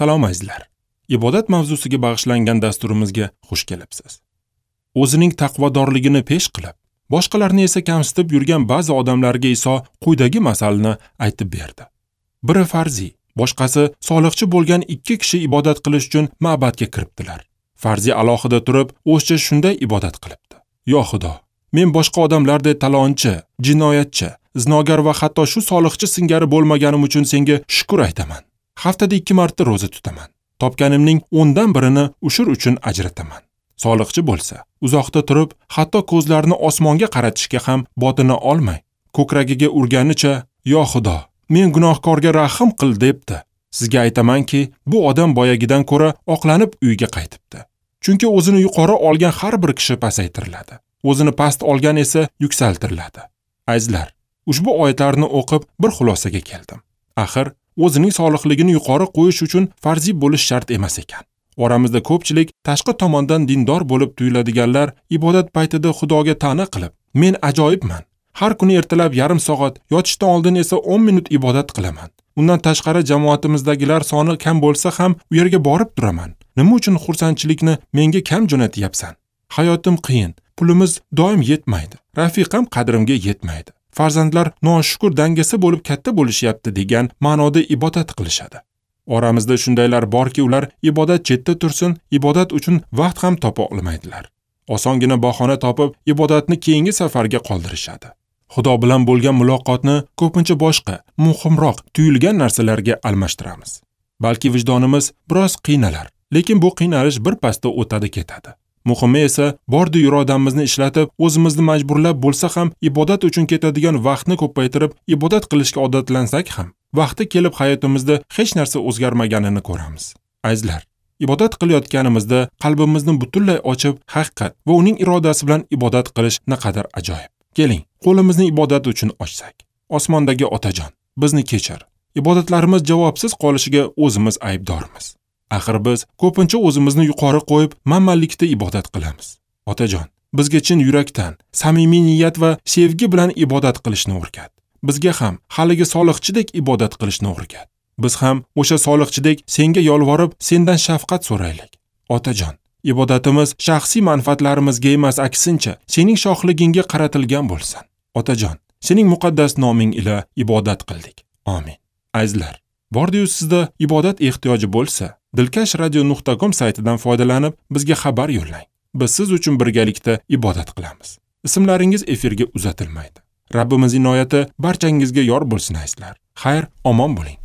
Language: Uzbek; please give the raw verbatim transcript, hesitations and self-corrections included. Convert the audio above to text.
Salom azizlar. Ibodat mavzusiga bag'ishlangan dasturimizga xush kelibsiz. O'zining taqvodorligini pesh qilib, boshqalarni esa kamsitib yurgan ba'zi odamlarga Iso quyidagi masalni aytib berdi. Biri farzi, boshqasi soliqchi bo'lgan ikki kishi ibodat qilish uchun ma'badga kiribdilar. Farzi alohida turib, o'zicha shunday ibodat qilibdi: "Yo Xudo, men boshqa odamlardek talonchi, jinoyatchi, zinogar va hatto shu soliqchi singari bo'lmaganim uchun senga shukr aytaman. Haftada ikki marta ro'za tutaman. Topganimning o'ndan birini ushur uchun ajrataman." Soliqchi bo'lsa, uzoqda turib, hatto ko'zlarini osmonga qaratishga ham botina olmay, ko'kragiga urganicha, "Yo Xudo, men gunohkorga rahm qil" debdi. Sizga aytamanki, bu odam boyagidan ko'ra oqlanib uyga qaytibdi. Chunki o'zini yuqori olgan har bir kishi pasaytiriladi. O'zini past olgan esa yuksaltiriladi. Azizlar, ushbu oyatlarni o'qib bir xulosaga keldim. Axir, o'zining solihligini yuqori qo'yish uchun farziy bo'lish shart emas ekan. Oramizda ko'pchilik tashqi tomondan dindor bo'lib tuyuladiganlar ibodat paytida Xudoga ta'na qilib, "Men ajoyibman. Har kuni ertalab yarim soat, yotishdan oldin esa o'n minut ibodat qilaman. Undan tashqari jamoatimizdagilar soni kam bo'lsa ham u yerga borib turaman. Nima uchun xursandchilikni menga kam jo'natyapsan? Hayotim qiyin, pulimiz doim yetmaydi. Rafiqam qadrimga yetmaydi. Farzandlar noshukur dangasa bo'lib katta bo'lishyapti" degan ma'noda ibodat qilishadi. Oramizda shundaylar borki, ular ibodat chetda tursin, ibodat uchun vaqt ham topa olmaydilar. Osongina bahona topib, ibodatni keyingi safarga qoldirishadi. Xudo bilan bo'lgan muloqotni ko'pincha boshqa, muhimroq tuyulgan narsalarga almashtiramiz. Balki vijdonimiz biroz qiynalar, lekin bu qiynalish bir pasda o'tadi ketadi. Muhimi esa bordi irodamizni ishlatib, o'zimizni majburlab bo'lsa ham ibodat uchun ketadigan vaqtni ko'paytirib, ibodat qilishga odatlansak ham, vaqti kelib hayotimizda hech narsa o'zgarmaganini ko'ramiz. Azizlar, ibodat qilayotganimizda qalbimizni butunlay ochib, haqiqat va uning irodasi bilan ibodat qilish naqadar ajoyib. Keling, qo'limizni ibodat uchun ochsak. Osmondagi Otajon, bizni kechir. Ibodatlarimiz javobsiz qolishiga o'zimiz aybdormiz. Axir biz ko'pincha o'zimizni yuqori qo'yib, manmanlikda ibodat qilamiz. Otajon, bizga chin yurakdan, samimiy niyat va sevgi bilan ibodat qilishni o'rgat. Bizga ham haligi soliqchidek ibodat qilishni o'rgat. Biz ham o'sha soliqchidek senga yolvorib, sendan shafqat so'raylik. Otajon, ibodatimiz shaxsiy manfaatlarimizga emas, aksincha sening shohligingga qaratilgan bo'lsin. Otajon, sening muqaddas noming ila ibodat qildik. Amin. Azizlar, bordi-yu sizda ibodat ehtiyoji bo'lsa, dilkash radio nuqta com saytidan foydalanib bizga xabar yo'llang. Biz siz uchun birgalikda ibodat qilamiz. Ismlaringiz efirga uzatilmaydi. Rabbimiz inoyati barchangizga yor bo'lsin azizlar. Xayr, omon bo'ling.